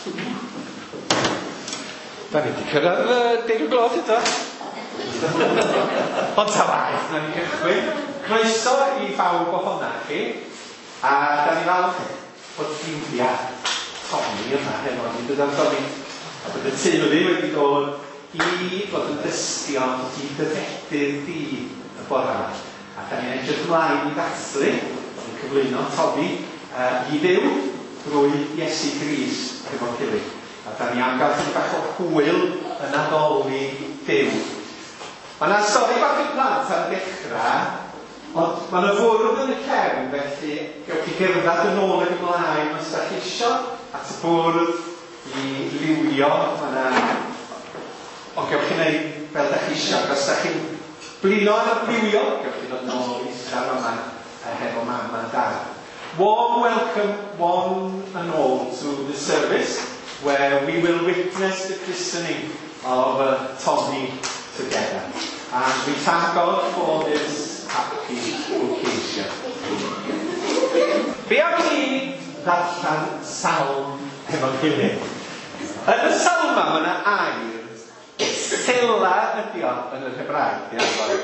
Da ni wedi cyrraedd 10 o'r gloch eto. Ond ta waeth, na ni gychwyn. Croeso i bawb ohona chi. A da ni falch bod ffrindiau Tommy yma hefo ni, dydan Tommy? A bod y teulu wedi dod i fod yn dystion i dy fedydd di y bore yma. A da ni'n edrych ymlaen i ddathlu yn cyflwyno Tommy i Dduw drwy Iesu Grist hefo'n gilydd. A da ni am gael chydig bach o hwyl yn addoli Duw. Mae yna stori bach i'r plant ar y dechrau, ond mae yna fwrdd yn y cefn, felly gewch chi gerdded yn ôl ac ymlaen os da chi isio at y bwrdd i liwio. Mae yna... Ond gewch chi wneud fel da chi isio. Ac os da chi'n blino ar y liwio, gewch chi ddod nôl i eistedd yma hefo mam a dad. Warm welcome one and all to the service where we will witness the christening of Tommy together. And we thank God for this happy occasion. Be am ni ddarllen salm hefo'n gilydd? Yn y salm yma, mae yna air, sela ydi o yn yr Hebraeg, di Arfon.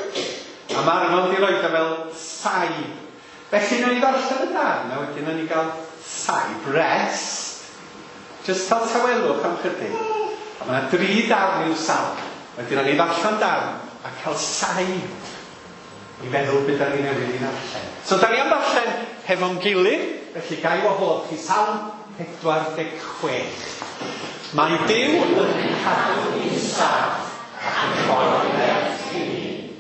A mae Arfon di roed o fel saib. Felly, nawn ni ddarllen y darn, a wedyn nawn ni gael saib, rest, just cael tawelwch am chydig. A mae yna 3 darn i'r salm. Wedyn nawn ni ddarllen darn a cael saib i feddwl beth da ni newydd i ddarllen. So, da ni am ddarllen hefo'n gilydd, felly ga i wahodd chi Salm 46. Mae Duw yn cadw ni'n saff ac yn rhoi nerth i ni.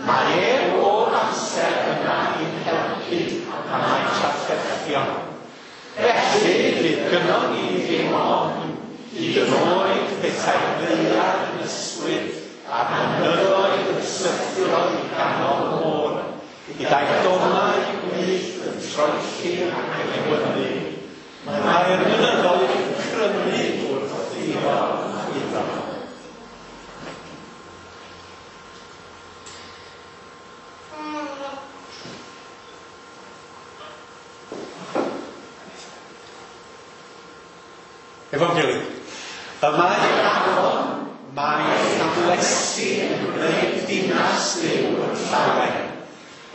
Mae e bob amser yma i'n helpu pan mae trafferthion. Felly, fydd gynnon ni ddim ofn, hyd yn oed petai'r ddaear yn ysgwyd a'r mynyddoedd yn syrthio i ganol y môr, gyda'i donau gwyllt yn troelli ac yn ewynu. Mae'r mynyddoedd yn crynu wrth iddo chwyddo. Efo'n gilydd. Y mae afon, mae llanlesi yn gwneud dinas Duw yn llawen.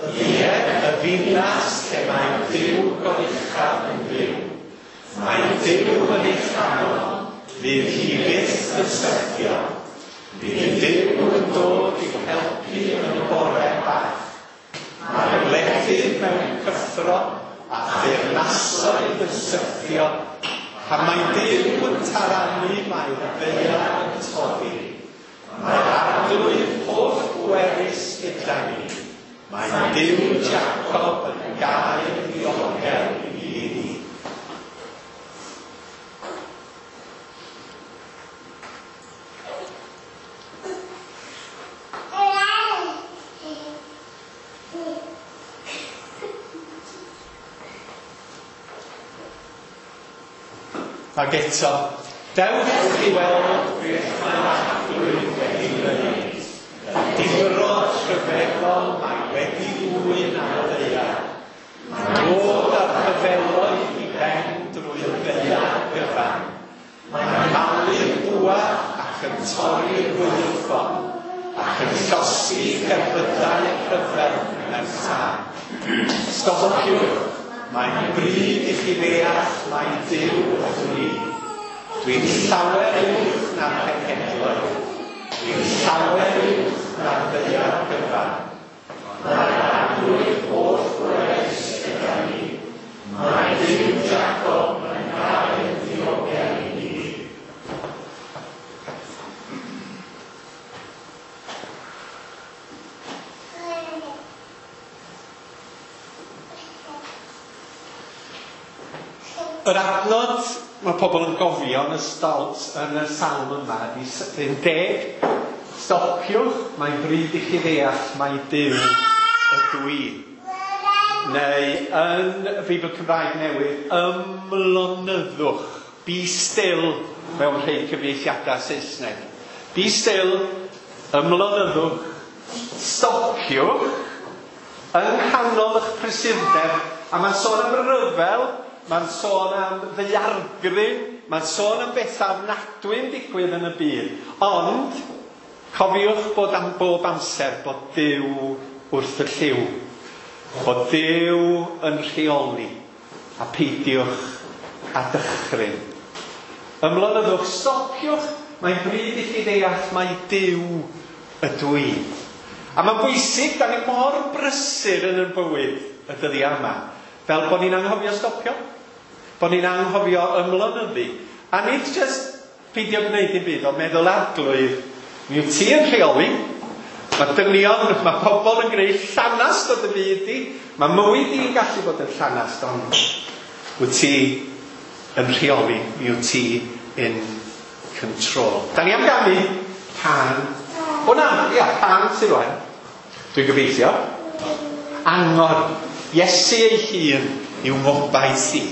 Ie, y ddinas lle mae Duw goruchaf yn byw. Mae Duw yn ei chanol, fydd hi byth yn syrthio. Bydd Duw yn dod i'w helpu yn y bore bach. Mae'r wledydd mewn cyffro a theyrnasoedd yn syrthio. Pan mae Duw yn taranu, mae'r ddaear yn toddi. Mae'r arglwydd holl bwerus gyda ni. Mae Duw Jacob yn gael ddiogel i ni. Ac eto, dewch i weld beth mae'r arglwydd wedi wneud. Y difrod rhyfeddol mae wedi ddwyn ar y ddaear. Mae'n dod â'r rhyfeloedd i ben drwy'r ddaear gyfan. Mae'n malu'r bwa ac yn torri'r gwaywffon, ac yn llosgi cerbydau rhyfel mewn tân. Stopiwch, mae'n bryd i chi ddeall mai Duw ydw i. Dwi'n llawer uwch na'r cenhedloedd. Dwi'n llawer uwch na'r ddaear gyfan. Mae'r arglwydd holl bwerus gyda ni. Mae Duw Jacob yn gael ddiogel i ni. Yr adnod mae pobl yn gofio yn y stalt yn y salm yma ydy 10. Stopiwch, mae'n bryd i chi ddeall mai Duw ydw i. Neu yn y Beibl Cymraeg Newydd, ymlonyddwch. Be still mewn rhai cyfieithiadau Saesneg. Be still, ymlonyddwch, stopiwch, yng nghanol eich prysurdeb. A mae'n sôn am ryfel, mae'n sôn am ddaeargryn. Mae'n sôn am bethau ofnadwy yn digwydd yn y byd. Ond, cofiwch bod am bob amser bod Duw wrth y llyw. Bod Duw yn rheoli a peidiwch a dychryn. Ymlonyddwch, stopiwch, mae'n bryd i chi ddeall mai Duw ydw i. A mae'n bwysig, da ni mor brysur yn ein bywyd y dyddiau yma, fel bod ni'n anghofio stopio, bod ni'n anghofio ymlonyddu. A nid jyst peidio gwneud dim byd, ond meddwl Arglwydd, mi wyt ti yn rheoli. Mae dynion, mae pobl yn gwneud llanast o dy fyd di. Mae mywyd di'n gallu bod yn llanast, ond wyt ti yn rheoli, mi wyt ti in control. Da ni am ganu cân. O na, ia, cân sydd rwan. Dwi'n gobeithio. Angor. Iesu ei hun yw ngobaith i.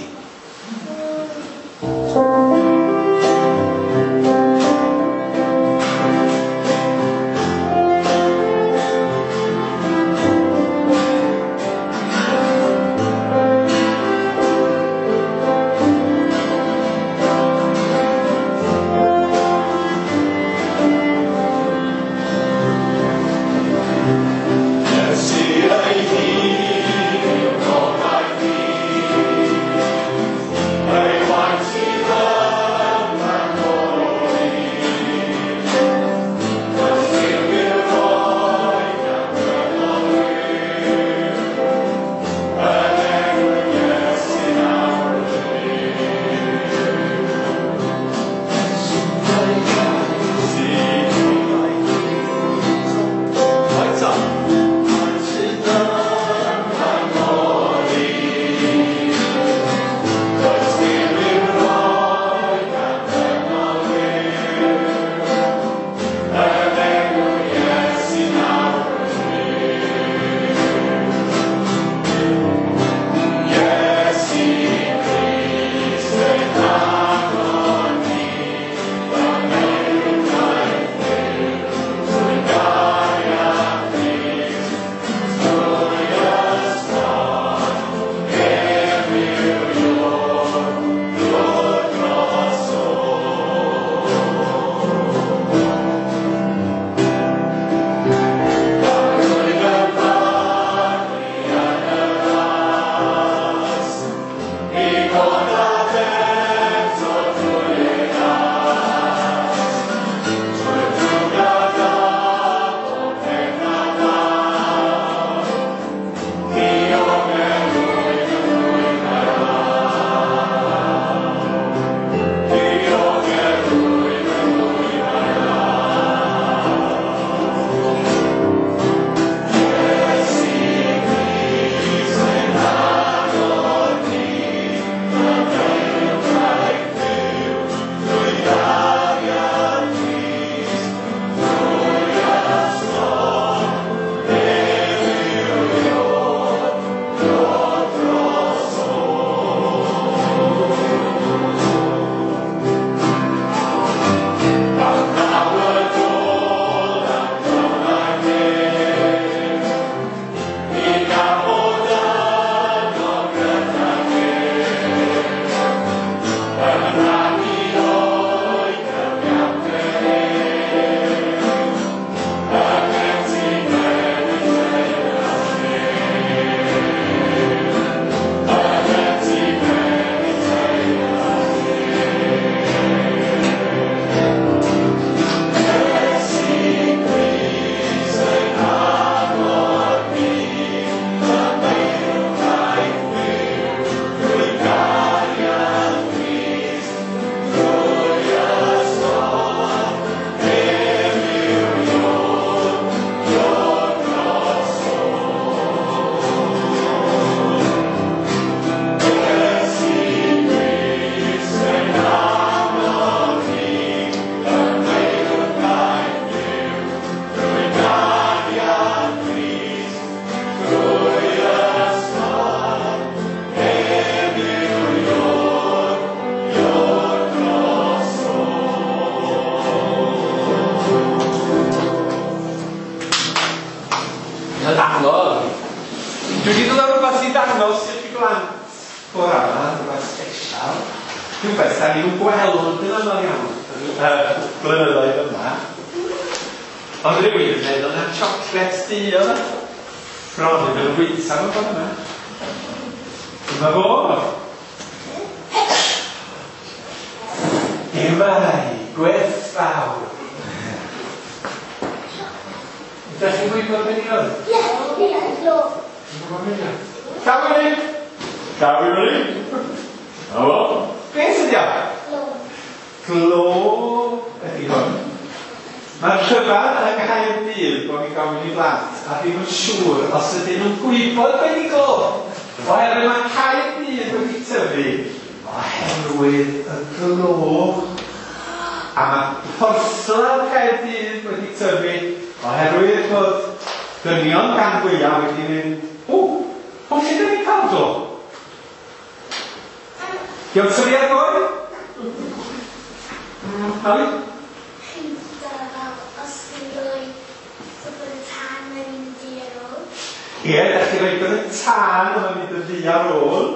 Iesu ei hun yw gobaith i, ei waith sydd yn rhagori. Does dim i'w roi gan gynghorwyr, yn enw Iesu nawr Lights on. Angor. Dwi wedi dod â rhywbeth i ddangos i'r blant bore yma, rhywbeth special. Rhywbeth da ni'n gweld yn aml iawn blynyddoedd yma. Ond rhywun yn meddwl na siocled du oedd e. Bron yn mynd wyta mewn ffordd yma. Dyma fo. Gemau gwerthfawr. Ydych chi'n gwybod beth i oedd? Ie, ie, glo. Ti'n gwybod beth i oedd? Llaw i fyny! Llaw i fyny! Na fo. Beth ydi o? Glo. Glo ydi hwn. Mae'r rhyfedd yng Nghaerdydd bod ni'n gofyn i blant a ddim yn siŵr os ydyn nhw'n gwybod beth i glo. Oherwydd mae Caerdydd wedi tyfu oherwydd y glo. A mae porthladd Caerdydd wedi tyfu oherwydd bod dynion gan fwyaf wedi mynd, o, o lle dyn ni'n cael glo? Dio'n tyfu ar goed? Ali? Chi'n fel os chi'n rhoi bod y tân yn mynd i ar ôl. Ie, da chi'n rhoi bod y tân yn mynd yn ddu ar ôl.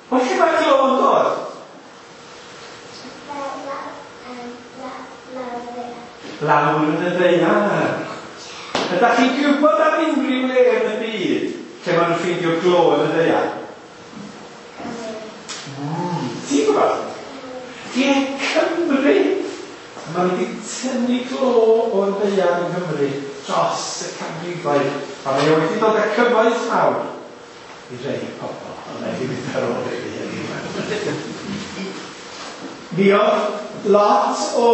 O lle mae glo yn dod? Fel lawr y ddaear. Lawr yn y ddaear. Ydych chi'n gwybod am unrhyw le yn y byd lle maen nhw'n ffeindio glo yn y ddaear? Ti'n gwybod? Ie, Cymru. Mae wedi tynnu glo o'r ddaear yng Nghymru dros y canrifoedd. A mae o wedi dod â cyfoeth mawr i rei pobl. Ond mae wedi mynd ar ôl i fi heddiw. Mi oedd lot o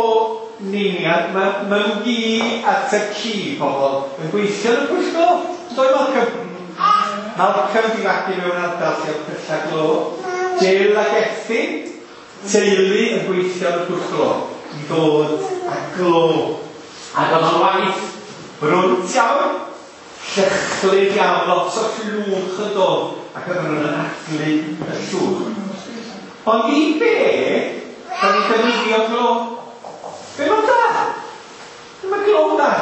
neiniad, mae mam-gu a tad-cu pobl yn gweithio yn y pwll glo. Doi Malcolm? Malcolm di fagu mewn ardal lle oedd pyllau glo. Jill ac Effie, teulu yn gweithio yn y pwll glo i ddod â glo. Ac oedd o'n waith brwnt iawn, llychlyd iawn, lot o llwch yn dod, ac oedden nhw'n anadlu y llwch. Ond i be, da ni'n defnyddio glo? Be mae'n da? Be mae glo'n da?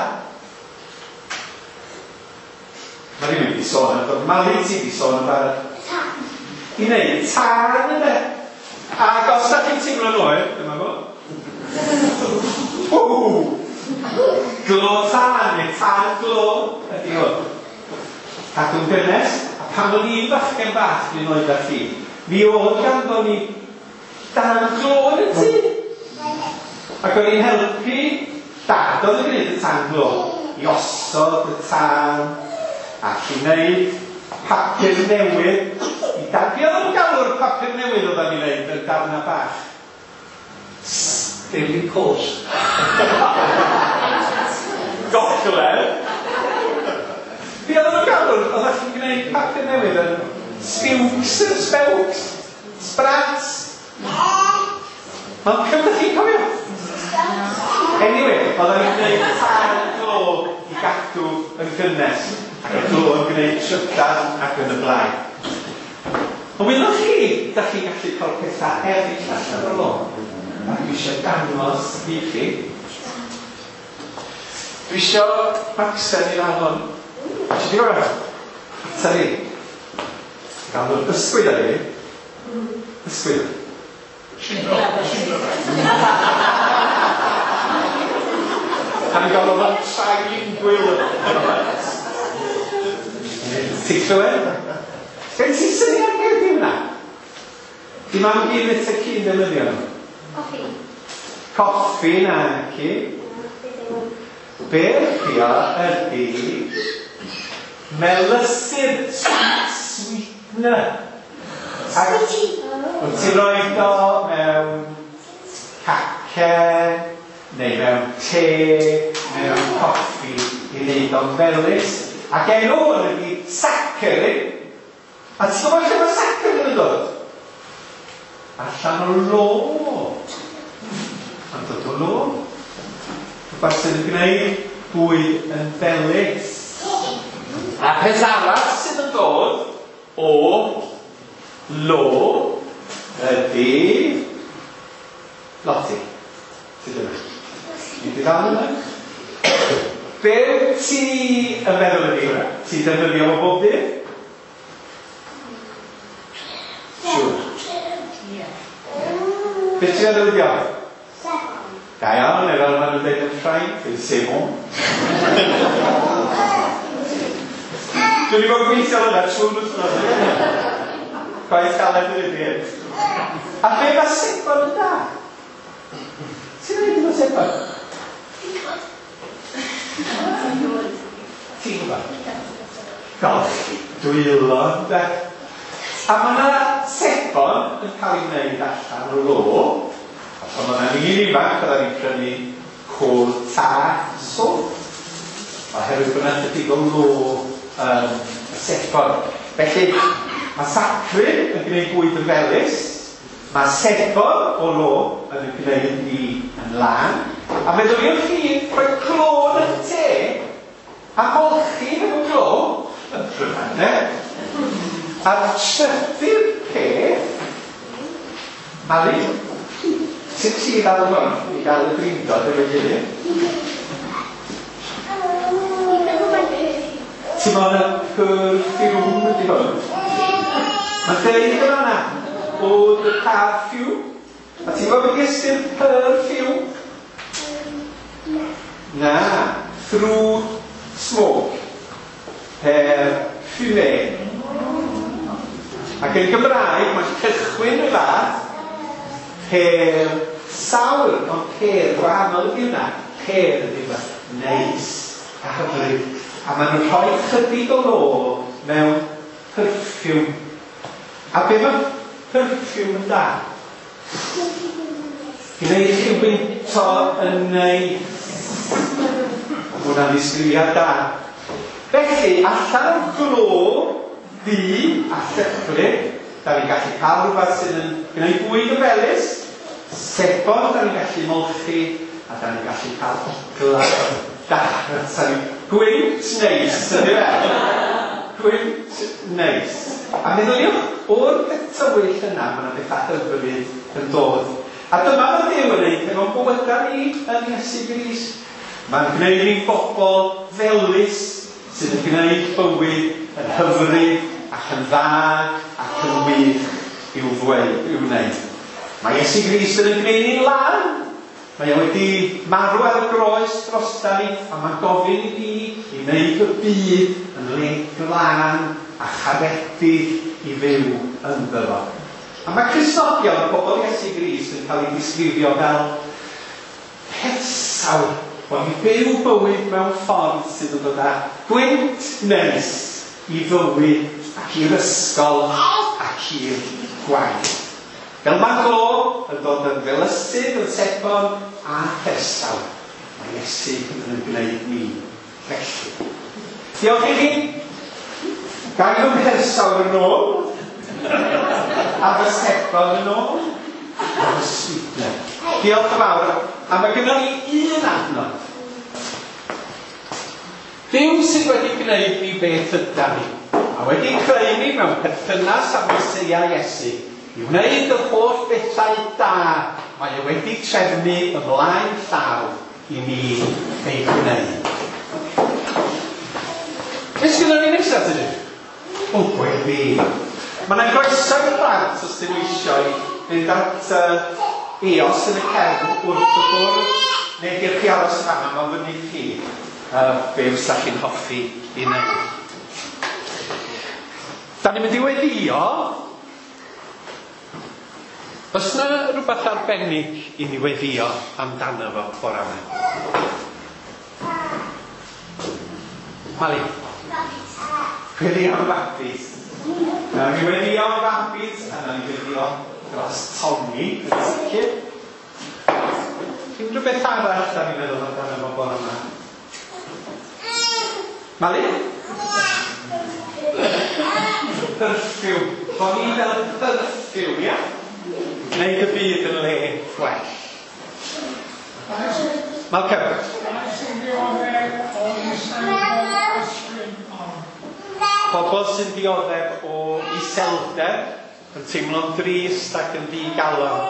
Mae rhywun wedi sôn am dod, Mali ti wedi sôn am barod. Tân. I wneud tân yna. Ac os da chi'n teimlo'n oer, dyma fo. Ww! Glo tân, neu tân glo ydi hwn. Cadw'n gynnes, a pan o'n i'n bachgen bach dwi'n oed â chi, mi oedd ganddo ni dan glo yn y tŷ. Ac o'n i'n helpu dad oedd yn gwneud y tân glo i osod y tân ac i wneud papur newydd. I dad, be oedd yn galw'r papur newydd oedden ni'n wneud yn darna bach? Daily Post. Gogledd. Be oedd yn galw'r, oeddech chi'n gwneud papur newydd yn spewks, spewks, sprats. Malcolm, ydych chi'n cofio? Anyway, oedden ni'n gwneud tân glo i gadw yn gynnes, ac y glo yn gwneud trydan ac yn y blaen. Ond wylwch chi, da chi'n gallu cael pethau eraill allan o'r lo. A dwi eisiau dangos i chi. Dwi eisiau Maxen i ddal hwn. Ti di gofio? Ata ni. Gael nhw'r ysgwyd ar i. Ysgwyd. A ni'n gael o'n trilingual. Ti'n clywed? Gen ti syniad beth yw hwnna? Di mam gyd y cyn defnyddio nhw? Coffi. Coffi na ci. Beth yw ydy melysydd, sweetener. Ac wyt ti'n rhoi o mewn cacen, neu mewn te, mewn coffi, i wneud o'n felys. Ac enw hwn ydy saccharin. A ti'n gwybod lle mae saccharin yn dod? Allan o lo. Mae'n dod o lo. Rhywbeth sydd yn gwneud bwyd yn felys. A peth arall sydd yn dod o lo ydy Lottie. Sydd yma? Ni wedi ddal yma? Be wyt ti yn meddwl ydy hwnna? Ti'n defnyddio fo bob dydd? Siŵr. Beth ti'n meddwl ydi o? Sebon. Da iawn, neu fel maen nhw'n dweud yn Ffrainc, c'est bon. Dwi wedi bod yn gweithio hwnna trwy'r wythnos. Gwaith caled yn ydi hyn. A be mae sebon yn da? Ti'n rhaid efo sebon? Ti'n gwybod? Golchi dwylo, ynde? A mae yna sebon yn cael ei wneud allan o lo. A pan oedden ni'n ifanc, oedden ni'n prynu coal tar soap. Oherwydd bod yna chydig o lo yn y sebon. Felly, mae sacrin yn gwneud bwyd yn felys. Mae sebon o lo yn gwneud ni yn lân. A meddyliwch chi, rhoi clo yn y te a golchi efo glo yn rhyfedd, ne? A'r trydydd peth, Mali, sut ti ddal hwn i gael y drindod efo'i gilydd? Dwi'n meddwl mae'n perfume. Ti'n meddwl na perfume ydi hwn? Mae'n deud yn fan'na, eau de parfum. A ti'n gwybod beth ystyr perfume? Na. Na, through smoke. Perfume. Ac yn Gymraeg, mae'n cychwyn y fath per sawl, ond per gwahanol ydy hwnna. Per ydy rhywbeth neis a hyfryd. A maen nhw'n rhoi chydig o lo mewn perfume. A be mae perfume yn da? Gwneud chi wynto yn neis. Mae hwnna'n ddisgrifiad da. Felly, allan o'r glo ddu a llychlyd, da ni'n gallu cael rhywbeth sydd yn gwneud bwyd yn felys, sebon da ni'n gallu molchi, a da ni'n gallu cael ogla da. Gwynt neis, ydy fe? Gwynt neis. A meddyliwch, o'r peth tywyll yna, mae yna bethau hyfryd yn dod. A dyma mae Duw yn neud efo'n bywydau ni yn Iesu Grist. Mae'n gwneud ni'n bobl felys sydd yn gwneud bywyd yn hyfryd ac yn dda ac yn wych i'w ddweud, i'w wneud. Mae Iesu Grist yn gwneud ni'n lân. Mae o wedi marw ar y groes drosta ni, a mae'n gofyn i ni i wneud y byd yn le glân a charedig i fyw ynddo fo. A mae Cristnogion, pobl Iesu Grist, yn cael ei ddisgrifio fel persawr, bod ni'n byw bywyd mewn ffordd sydd yn dod â gwynt neis i fywyd ac i'r ysgol ac i'r gwaith. Fel mae glo yn dod yn felysydd, yn sebon a persawr, mae Iesu yn gwneud ni felly. Diolch i chi. Gael fy mhersawr yn ôl, a fy sebon yn ôl, a fy sweetener. Diolch yn fawr. A mae gynnon ni un adnod. Duw sydd wedi gwneud ni beth ydan ni, a wedi creu ni mewn perthynas â Meseia Iesu, i wneud yr holl bethau da mae e wedi trefnu ymlaen llaw i ni ei gwneud. Beth sgynnon ni nesaf, dydyn? O, gweddi. Mae yna groeso i'r plant os dyn nhw eisiau fynd at Eos yn y cefn wrth y bwrdd, neu gewch chi aros yn fan'na, mae'n fyny chi be fysa chi'n hoffi i wneud. Da ni'n mynd i weddio. Oes yna rhywbeth arbennig i ni weddio amdano fo bore yma? Mali? Gweddio am babis. Nawn ni weddio am babis, a nawn ni weddio dros Tommy, yn sicr. Unrhyw beth arall da ni'n meddwl amdano fo bore yma? Mali? Perfume. Bo ni fel perfume, ia? Gwneud y byd yn le gwell. Malcolm? Pobl sy'n dioddef o iselder, yn teimlo'n drist ac yn ddigalon.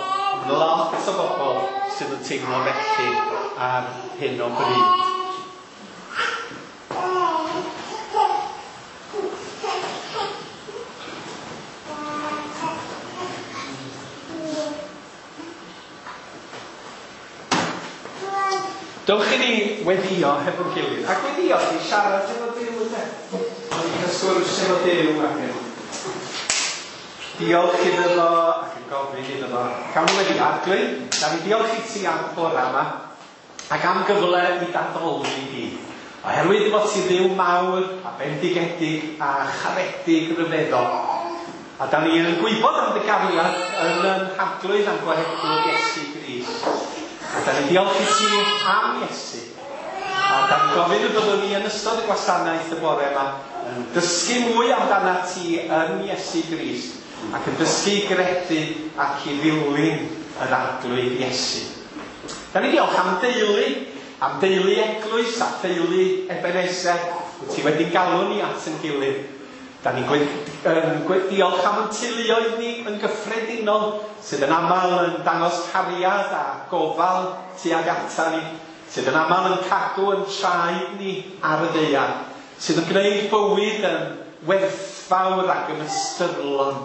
Mae lot o bobl sydd yn teimlo felly ar hyn o bryd. Dewch i ni weddio hefo'n gilydd. Ac weddio ydy siarad efo Duw, ynde? Ond i cael sgwrs efo Duw ac yn diolch iddo fo ac yn gofyn iddo fo. Cawn ni weddio. Arglwydd, da ni diolch i ti am bore yma ac am gyfle i d'addoli di. Oherwydd fod ti Dduw mawr a bendigedig a charedig ryfeddol. A da ni yn gwybod am dy gariad yn yn Harglwydd a'n Gwaredwr Iesu Grist. A da ni'n diolch i ti am Iesu. A da ni'n gofyn y byddwn ni yn ystod y gwasanaeth y bore yma yn dysgu mwy amdana ti yn Iesu Grist ac yn dysgu i gredu ac i ddilyn yr Arglwydd Iesu. Da ni'n diolch am deulu eglwys a theulu Ebeneser, wyt ti wedi galw ni at yn gilydd. Da ni'n diolch am ein teuluoedd ni yn gyffredinol, sydd yn aml yn dangos cariad a gofal tuag ata ni, sydd yn aml yn cadw yn traed ni ar y ddaear, sydd yn gwneud bywyd yn werthfawr ac yn ystyrlon.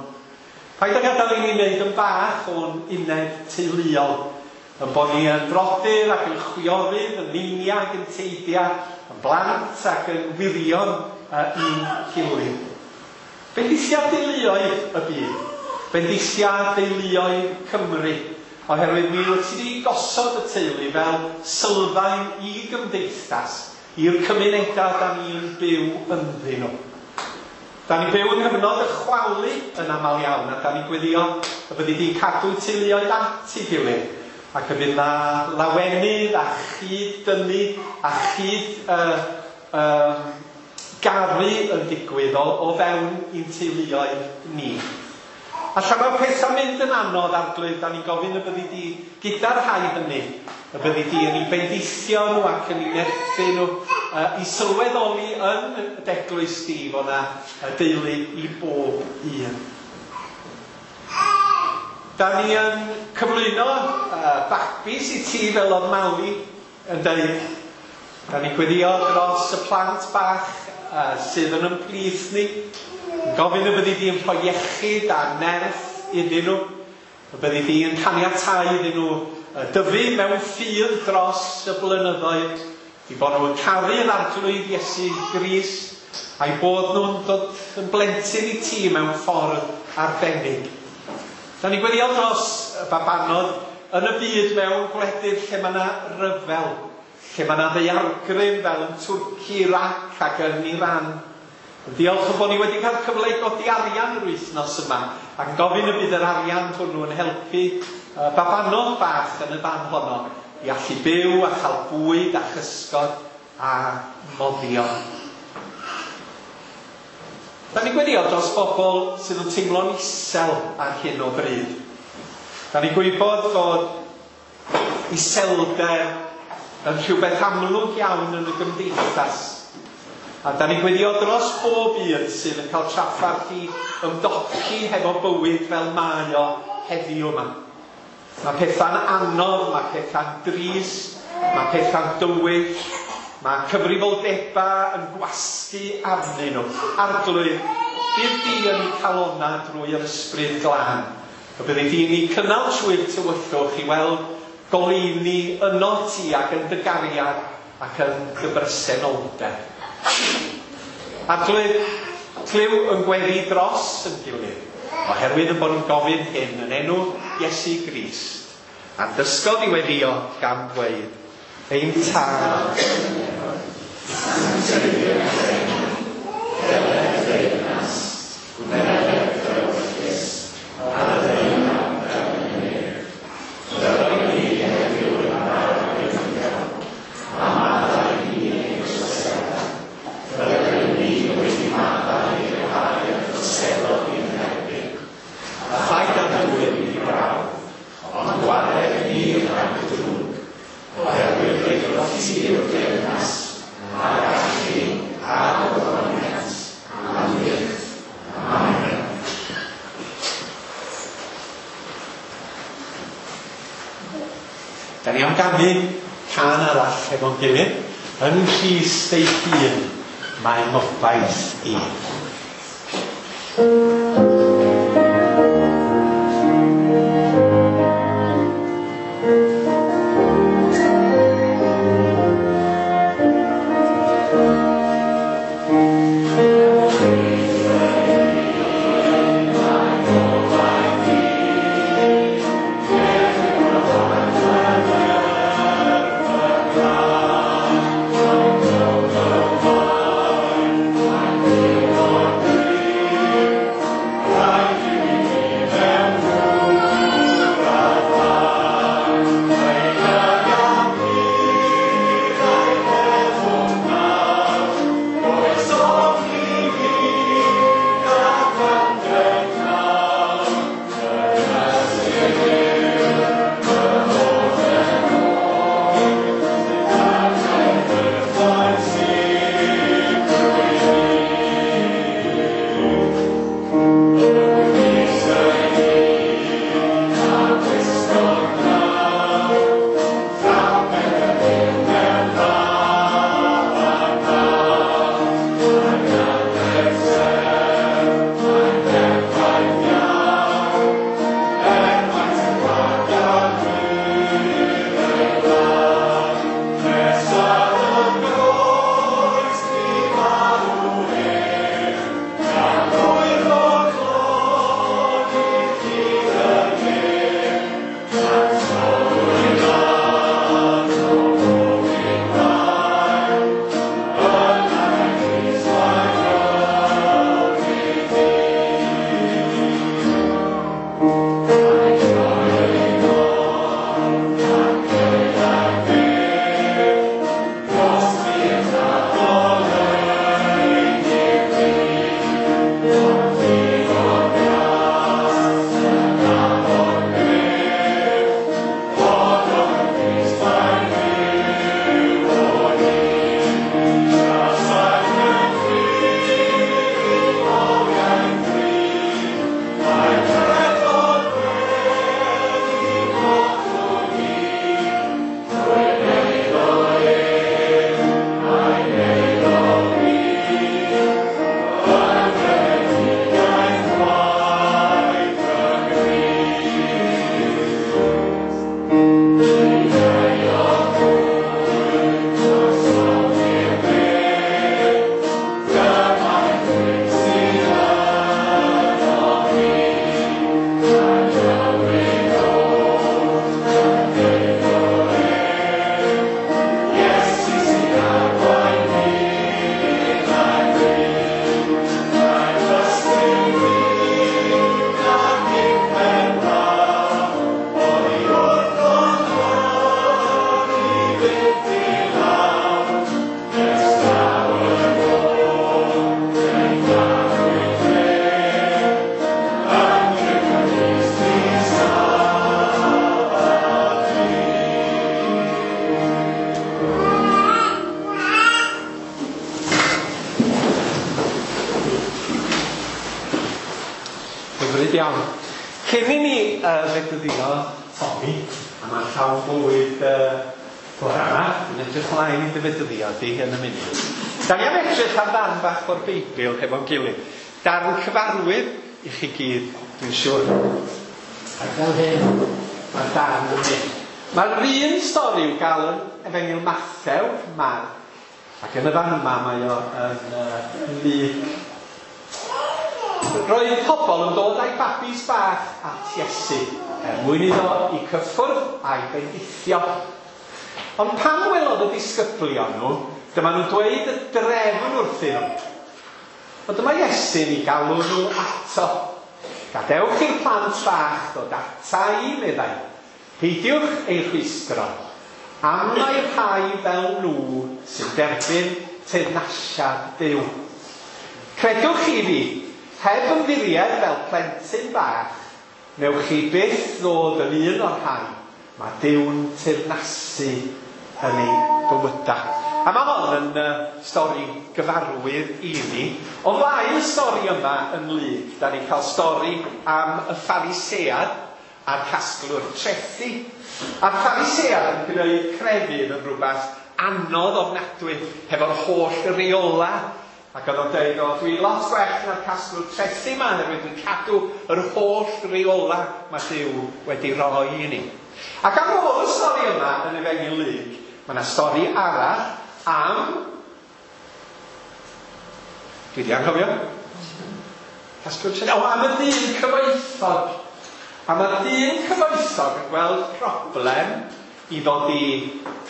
Paid â gadael i ni wneud yn bach o'n uned teuluol, yn bod ni yn brodyr ac yn chwiorydd, yn neiniau ac yn teidiau, yn blant ac yn wirion i'n gilydd. Bendithia deuluoedd y byd, bendithia deuluoedd Cymru, oherwydd mi wyt ti wedi gosod y teulu fel sylfaen i gymdeithas, i'r cymunedau da ni'n byw ynddyn nhw. Da ni'n byw yng nghyfnod y chwalu yn aml iawn, a da ni'n gweddio y byddi di'n cadw teuluoedd at ei gilydd, ac y bydd na lawenydd a chyd-dynnu a chyd garu yn digwydd o fewn i'n teuluoedd ni. A lle mae pethau'n mynd yn anodd, Arglwydd, da ni'n gofyn y byddi di gyda'r rhai hynny, y byddi di yn eu bendithio nhw ac yn eu nerthu nhw, i sylweddoli yn y d'eglwys di fod na deulu i bob un. Da ni yn cyflwyno babis i ti fel oedd Mali yn dweud. Da ni'n gweddio dros y plant bach sydd yn ymplith ni. Yn gofyn y byddi di yn rhoi iechyd a nerth iddyn nhw. Y byddi di yn caniatáu iddyn nhw dyfu mewn ffydd dros y blynyddoedd. I bod nhw'n caru yr Arglwydd Iesu Grist a'i bod nhw'n dod yn blentyn i ti mewn ffordd arbennig. Da ni'n gweddio dros y babanod yn y byd mewn gwledydd lle mae yna ryfel, lle mae yna ddaeargryn fel yn Twrci, Irac ac yn Iran. Diolch yn bod ni wedi cael cyfle i godi arian yr wythnos yma ac yn gofyn y bydd yr arian hwnnw yn helpu babanod bach yn y fan honno i allu byw a chael bwyd a chysgod a moddion. Da ni'n gweddio dros bobl sydd yn teimlo'n isel ar hyn o bryd. Da ni'n gwybod fod iselder yn rhywbeth amlwg iawn yn y gymdeithas. A da ni'n gweddio dros bob un sydd yn cael trafferth i ymdopi hefo bywyd fel mae o heddiw yma. Mae pethau'n anodd, mae pethau'n drist, mae pethau'n dywyll, mae cyfrifoldebau yn gwasgu arnyn nhw. Arglwydd, bydd di yn eu calonnau drwy yr ysbryd glân. Y byddi di yn eu cynnal trwy'r tywyllwch i weld goleuni yno ti ac yn dy gariad ac yn dy bresenoldeb. Arglwydd, clyw yn gweddi dros yn gilydd, oherwydd yn bod yn gofyn hyn yn enw Iesu Grist. A'n dysgodd i weddio gan ddweud, ein Tad, Da ni am ganu cân arall hefo'n gilydd. Yn Nghrist ei hun, mae ngobaith i. Cyn i ni fedyddio Tommy, a mae'n llawn bywyd bore yma, dwi'n edrych mlaen i dy fedyddio di yn y munud. Da ni am edrych ar ddarn bach o'r Beibl hefo'n gilydd. Darn cyfarwydd i chi gyd, dwi'n siŵr. Ac fel hyn, mae'r darn yn mynd. Mae'r un stori i'w gael yn Efengyl Mathew, Marc, ac yn y fan yma mae o yn Luc. Roedd pobl yn dod â'i babis bach at Iesu, er mwyn iddo i cyffwrdd a'i bendithio. Ond pan welodd y disgyblion nhw, dyma nhw'n dweud y drefn wrthyn nhw. Ond dyma Iesu'n eu galw nhw ato. Gadewch i'r plant bach ddod ata i, meddai. Peidiwch eu rhwystro, am mai'r rhai fel nhw sy'n derbyn teyrnasiad Duw. Credwch chi fi, heb ymddiried fel plentyn bach, newch chi byth ddod yn un o'r rhai mae Duw'n teyrnasu yn eu bywydau. A mae hon yn stori gyfarwydd i ni. O flaen y stori yma yn Luc, da ni'n cael stori am y Pharisead a'r casglwr trethi. A'r Pharisead yn gwneud crefydd yn rhywbeth anodd ofnadwy hefo'r holl reola. Ac oedd o'n dweud, o, dwi lot gwell na'r casglwr trethi yma, oherwydd dwi'n cadw yr holl reola mae Duw wedi roi i ni. Ac ar ôl y stori yma yn Efengyl Luc, mae yna stori arall am... Dwi wedi anghofio. Casglwr trethi. O, am y dyn cyfoethog. A mae'r dyn cyfoethog yn gweld problem i ddod i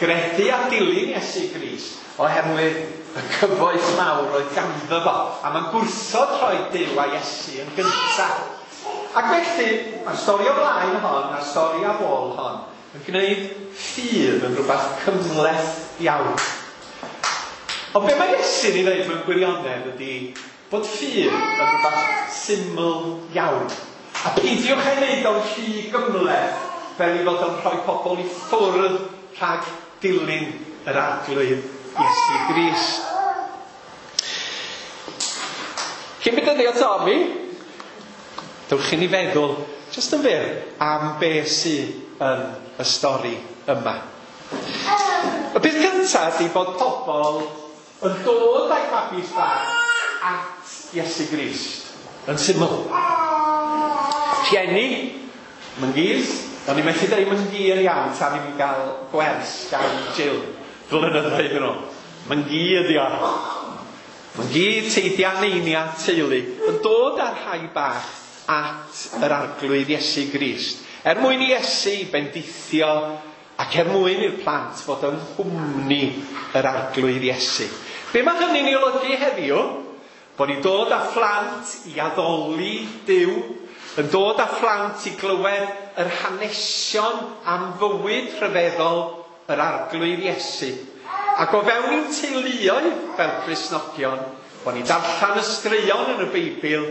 gredu a dilyn Iesu Grist oherwydd y cyfoeth mawr oedd ganddo fo. A mae'n gwrthod rhoi Duw a Iesu yn gyntaf. Ac felly, mae'r stori o flaen hon a'r stori ar ôl hon yn gwneud ffydd yn rhywbeth cymhleth iawn. Ond be mae Iesu'n ei ddeud mewn gwirionedd ydy bod ffydd yn rhywbeth syml iawn. A peidiwch ei wneud o'n rhy gymhleth fel ei fod o'n rhoi pobl i ffwrdd rhag dilyn yr Arglwydd Iesu Grist. Cyn bedyddio Tommy, dewch i ni feddwl, jyst yn fyr, am be sydd yn y stori yma. Y peth cyntaf ydy bod pobl yn dod â'i babis bach at Iesu Grist, yn syml. Rhieni, myngiz, o'n i'n methu dweud myngi yn iawn tan i mi gael gwers gan Jill blynyddoedd yn ôl. Myngi ydi o. Myngi, teidia, neinia, teulu, yn dod â'r rhai bach at yr Arglwydd Iesu Grist, er mwyn i Iesu bendithio ac er mwyn i'r plant fod yng nghwmni yr Arglwydd Iesu. Be mae hynny'n ei olygu heddiw? Bod ni'n dod â phlant i addoli Duw, yn dod â phlant i glywed yr hanesion am fywyd rhyfeddol yr Arglwydd Iesu. Ac o fewn i'n teuluoedd fel Cristnogion, bod ni'n darllen y straeon yn y Beibl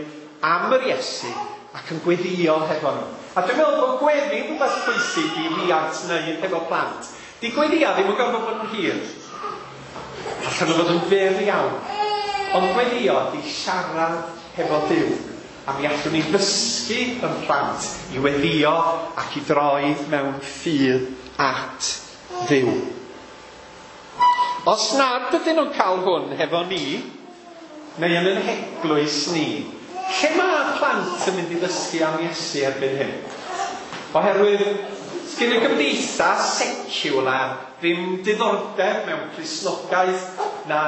am yr Iesu ac yn gweddio hefo nhw. A dwi'n meddwl bod gweddi yn rhywbeth pwysig i riant wneud hefo plant. Di gweddia ddim yn gorfod bod yn hir. Allan nhw fod yn fyr iawn. Ond gweddio di siarad hefo Duw. A mi allwn ni ddysgu yn plant i weddio ac i droi mewn ffydd at Dduw. Os nad ydyn nhw'n cael hwn hefo ni, neu yn ein heglwys ni, lle mae plant yn mynd i ddysgu am Iesu erbyn hyn? Oherwydd, sgyn y gymdeithas secular ddim diddordeb mewn Cristnogaeth na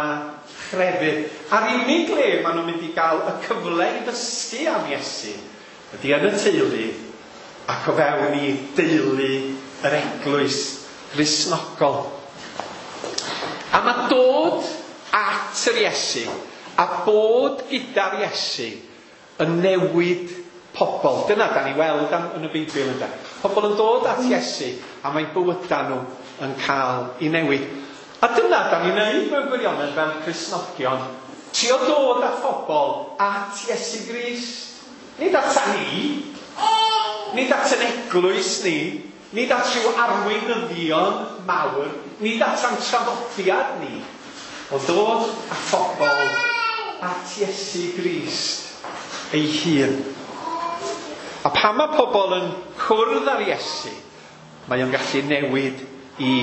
chrefydd. A'r unig le maen nhw'n mynd i gael y cyfle i ddysgu am Iesu ydy yn y teulu ac o fewn i deulu yr eglwys Gristnogol. A mae dod at yr Iesu a bod gyda'r Iesu yn newid pobl. Dyna da ni weld yn y Beibl ynde. Pobl yn dod at Iesu a mae bywydau nhw yn cael ei newid. A dyna da ni'n neud mewn gwirionedd fel Cristnogion. Trio dod â phobl at Iesu Grist. Nid at ni. Nid at yn eglwys ni. Nid at rhyw arweinyddion mawr. Nid at ein traddodiad ni. Ond dod â phobl at Iesu Grist ei hun. A pan mae pobl yn cwrdd ar Iesu, mae o'n gallu newid i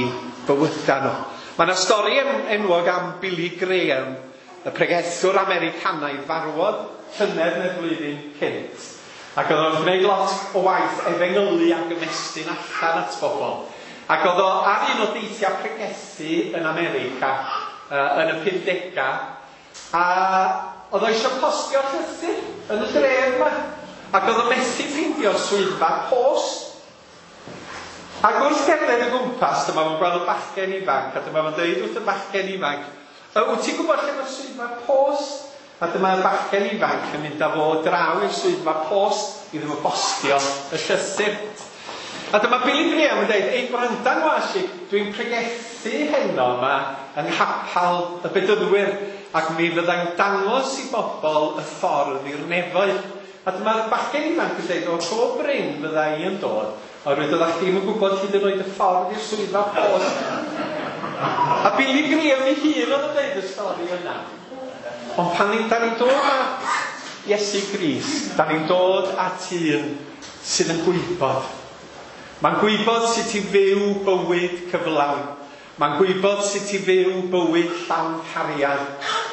bywydau nhw. Mae yna stori enwog am Billy Graham, y pregethwr Americanaidd farwodd llynedd neu'r flwyddyn cynt. Ac oedd o'n gwneud lot o waith efengylu ac ymestyn allan at bobl. Ac oedd o ar un o deithiau pregethu yn America yn y 50au, a oedd o eisiau postio llythyr yn y dref yma. Ac oedd o methu ffeindio'r swyddfa post. Ac wrth gerdded o gwmpas, dyma fo'n gweld y bachgen ifanc, a dyma fo'n dweud wrth y bachgen ifanc, wyt ti'n gwybod lle mae'r swyddfa post? A dyma'r bachgen ifanc yn mynd â fo draw i'r swyddfa post iddo fo bostio y llythyr. A dyma Billy Graham yn dweud, ei gwranda ngwas i, dwi'n pregethu heno yma yng nghapel y Bedyddwyr, ac mi fyddai'n dangos i bobl y ffordd i'r nefoedd. A dyma'r bachgen ifanc yn dweud, o go brin fydda i yn dod, oherwydd oeddach chdi'm yn gwybod hyd yn oed y ffordd i'r swyddfa post. A Billy Graham ei hun oedd yn dweud y stori yna. Ond pan da ni'n dod at Iesu Grist, da ni'n dod at un sydd yn gwybod. Mae'n gwybod sut i fyw bywyd cyflawn. Mae'n gwybod sut i fyw bywyd llawn cariad.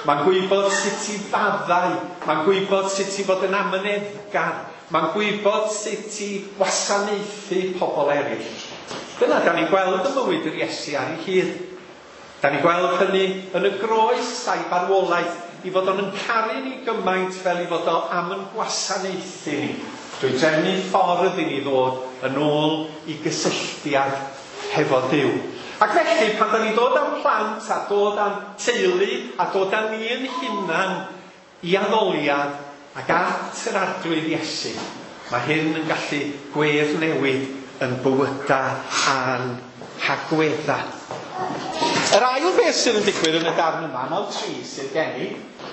Mae'n gwybod sut i faddau. Mae'n gwybod sut i fod yn amyneddgar. Mae'n gwybod sut i wasanaethu pobl eraill. Dyna da ni'n gweld y bywyd yr Iesu ar ei hyd. Da ni'n gweld hynny yn y groes a'i farwolaeth, i fod o'n caru ni gymaint fel i fod o am yn gwasanaethu ni. Drwy drefnu ffordd i ni ddod yn ôl i gysylltiad hefo Duw. Ac felly, pan da ni'n dod â'n plant a dod â'n teulu a dod â ni yn hunan i addoliad ac at yr Arglwydd Iesu, mae hyn yn gallu gweddnewid yn bywydau a'n hagweddau. Yr ail beth sydd yn digwydd yn y darn yma, 9-3 sydd gen i,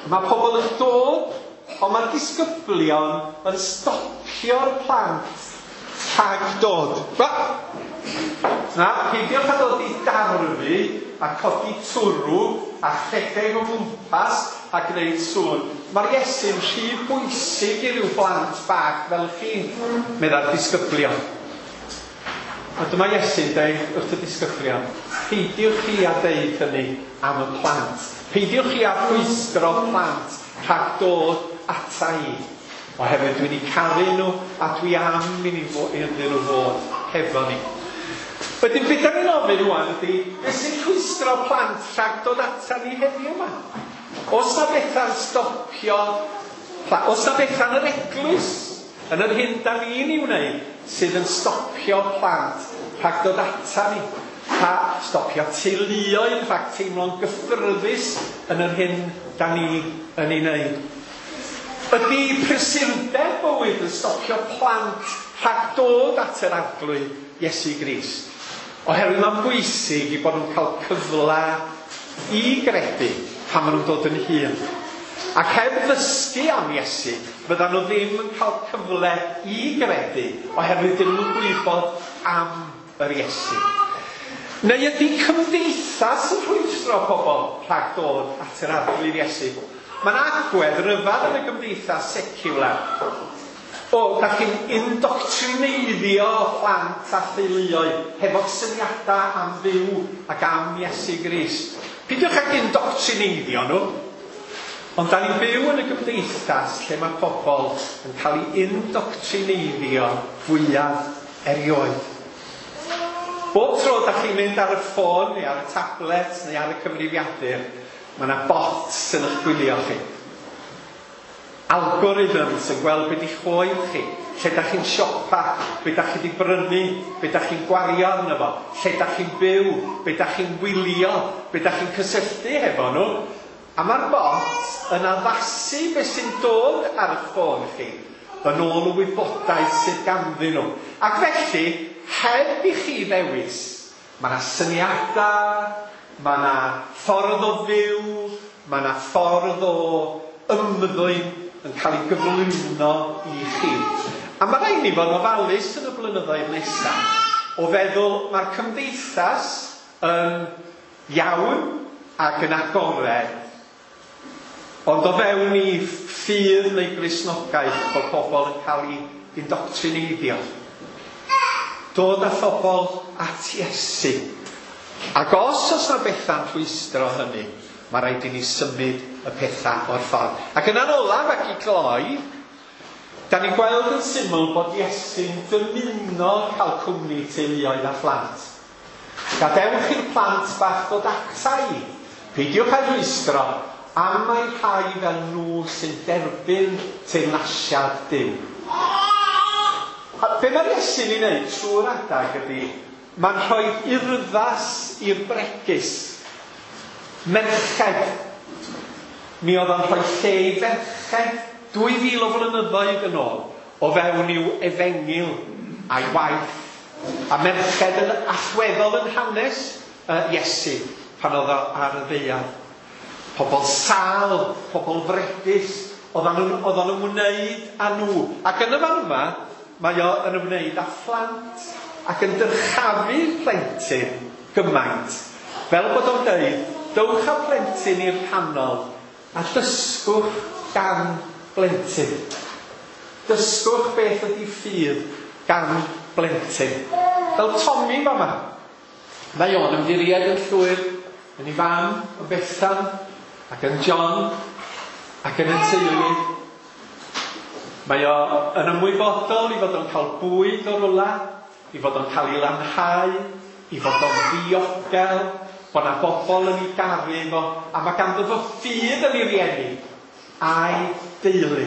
mae pobl yn dod, ond mae'r disgyblion yn stopio'r plant rhag dod. Na, peidiwch â dod i darfu a codi twrw a rhedeg o gwmpas a gwneud sŵn. Mae'r Iesu'n rhy bwysig i ryw blant bach fel chi, meddai'r disgyblion. A dyma Iesu'n dweud wrth y disgyblion, peidiwch chi â deud hynny am y plant. Peidiwch chi â rhwystro plant rhag dod ata i. Oherwydd dwi wedi caru nhw a dwi am iddyn nhw fod hefo ni. Wedyn, beth da ni'n ofyn rwan ydy, beth sy'n rhwystro plant rhag dod ata ni heddiw yma? Oes na bethau'n stopio, oes na bethau'n yr eglwys, yn yr hyn da ni'n ei wneud, sydd yn stopio plant rhag dod ata ni? Stopio teuluoedd rhag teimlo'n gyffyrddus yn yr hyn da ni yn ei wneud? Ydy prysurdeb bywyd yn stopio plant rhag dod at yr Arglwydd Iesu Grist? Oherwydd mae'n bwysig i bod nhw'n cael cyfle i gredu pan maen nhw'n dod yn hŷn. Ac heb ddysgu am Iesu, fyddan nhw ddim yn cael cyfle i gredu, oherwydd dyn nhw'n gwybod am yr Iesu. Neu ydy cymdeithas yn rhwystro pobl rhag dod at yr Arglwydd Iesu? Mae'n agwedd ryfedd yn y gymdeithas seciwlar. O, da chi'n indoctrineiddio plant a theuluoedd hefo syniadau am Dduw ac am Iesu Grist. Peidiwch ag indoctrineiddio nhw. Ond da ni'n byw yn y gymdeithas lle mae pobl yn cael eu indoctrineiddio fwyaf erioed. Bob tro da chi'n mynd ar y ffôn neu ar y tablet neu ar y cyfrifiadur, mae yna bots yn eich gwylio chi. Algorithms yn gweld beth i'ch oed chi, lle da chi'n siopa, beth da chi wedi brynu, beth da chi'n gwario arno fo, lle da chi'n byw, beth da chi'n wylio, beth da chi'n cysylltu hefo nhw. A mae'r bot yn addasu beth sy'n dod ar eich ffôn chi yn ôl y wybodaeth sydd ganddyn nhw. Ac felly, heb i chi ddewis, mae yna syniadau, mae yna ffordd o fyw, mae yna ffordd o ymddwyn yn cael ei gyflwyno i chi. A mae rhaid ni fod yn ofalus yn y blynyddoedd nesaf o feddwl mae'r cymdeithas yn iawn ac yn agored, ond o fewn i ffydd neu Gristnogaeth bod pobl yn cael eu indoctrineiddio. Dod â phobl at Iesu. Ac os oes 'na bethau'n rhwystro hynny, mae rhaid i ni symud y pethau o'r ffordd. Ac yna'n olaf ac i gloi, da ni'n gweld yn syml bod Iesu'n dymuno cael cwmni teuluoedd a phlant. Gadewch i'r plant bach ddod ata i. Peidiwch â rhwystro, am mai rhai fel nhw sy'n derbyn teyrnasiad Duw. A be mae'r Iesu'n ei wneud trwy'r adag ydy, mae'n rhoi urddas i'r bregus. Merched. Mi oedd o'n rhoi lle i ferched 2000 o flynyddoedd yn ôl o fewn i'w efengyl a'i waith. A merched yn allweddol yn hanes Iesu pan oedd o ar y ddaear. Pobl sâl, pobl fregus, oedden nhw'n ymwneud â nhw. Ac yn y fan yma, mae o yn ymwneud â phlant ac yn dyrchafu plentyn gymaint. Fel bod o'n dweud, dowch â plentyn i'r canol a dysgwch gan blentyn. Dysgwch beth ydy ffydd gan blentyn. Fel Tommy fama. Mae o'n ymddiried yn llwyr yn ei fam, yn Bethan, ac yn John, ac yn y teulu. Mae o yn ymwybodol i fod o'n cael bwyd o rwla, i fod o'n cael ei lanhau, i fod o'n ddiogel, bod 'na bobl yn ei garu fo, a mae ganddo fo ffydd yn ei rieni a'i deulu.